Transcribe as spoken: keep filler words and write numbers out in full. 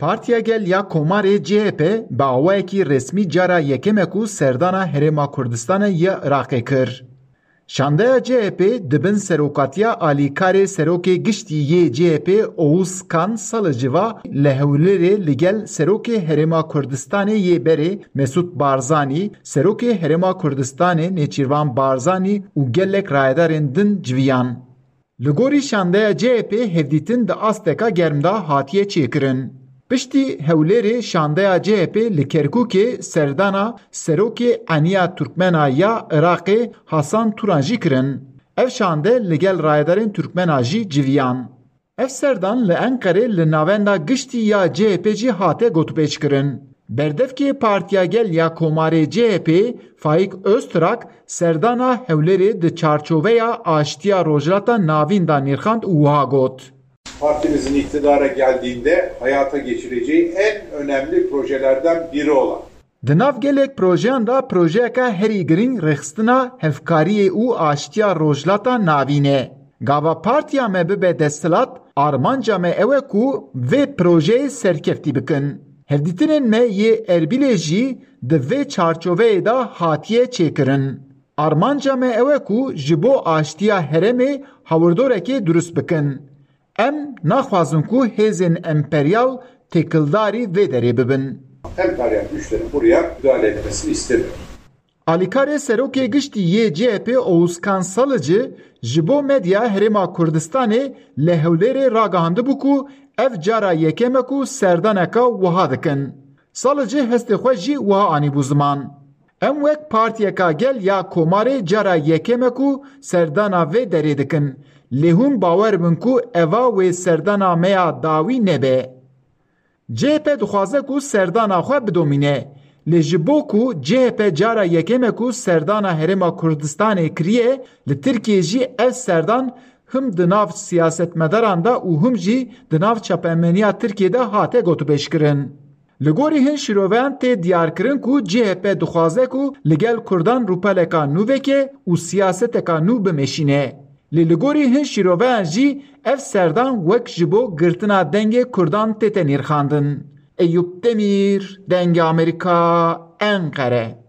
Partiya Gel ya Komarê C H P bi awayekî resmî cara yekem e ku serdana Herêma Kurdistanê ya Iraqê kir. Şandeya C H P di bin serokatiya alîkarê serokê giştî yê C H P Oğuz Kan Salıcı va li Hewlêrê li gel serokê Herêma Kurdistanê yê berê Mesut Barzanî, serokê Herêma Kurdistanê Nêçîrvan Barzanî û gelek rayedarên din civiyan. Li gorî şandeya C H P hevdîtin di asteka germ de hatiye çêkirin. Piştî Hewlêrê şandeya C H P li Kerkûkê serdana serokê Eniya Turkmena ya Iraqê Hasan Turan jî kirin. Ev şande li gel rayedarên Turkmena jî civiyan. Ev serdan li Enqerê li navenda giştî ya C H P jî hate gotûbêjkirin. Berdevkê Partiya Gel ya Komarê C H P Faik Öztrak serdana Hewlêrê di çarçoveya aştiya Rojhilata Navîn de nirxand û wiha got. Partimizin iktidara geldiğinde hayata geçireceği en önemli projelerden biri olan Di nav gelek projeyan de projeyeke herî girîng rêxistina hevkariyê û aştiya Rojhilata Navîn e. Gava partiya me bibe desthilat, armanca me ew e ku vê projeyê serkeftî bikin. Hevdîtinên me yê Erbîlê jî di vê çarçoveyê de hatiye çêkirin. Armanca me ew e ku ji bo aştiya herêmê hawirdoreke durust bikin. Em naxwazin ku hêzên emperyal têkildarî vê derê bibin. Emperyal güçlerin buraya müdahale etmesini istemiyor. Alîkarê serokê giştî yê C H P Oğuzkan Salıcı ji bo medya Herêma Kurdistanê li Hewlêrê ragihandibû ku ev cara yekem e ku serdaneka wiha dikin. Salıcı hestê xwe jî wiha anîbû ziman. Em wek partiyeka gel ya Komarê cara yekem e ku serdana vê derê dikin. Lê hûn bawer bin ku eva wê serdana me ya dawî nebe. C H P dixwaze ku serdana xwe bidomîne. Lê ji bo ku C H P cara yekem e ku serdana Herêma Kurdistanê kiriye, li Tirkiyê jî ev serdan him di nav siyasetmedaran de û him jî di nav çapemeniya Tirkiyê de hate gotûbêjkirin. Li gorî hin şîroveyan tê diyarkirin ku C H P dixwaze ku li gel Kurdan rûpeleka nû veke û siyaseteka nû bimeşîne. Lê li gorî hin şîroveyan jî ev serdan wek ji bo girtina dengê Kurdan tête nîrxandin. Eyûp Demîr, Dengê Amerîka, Enqere.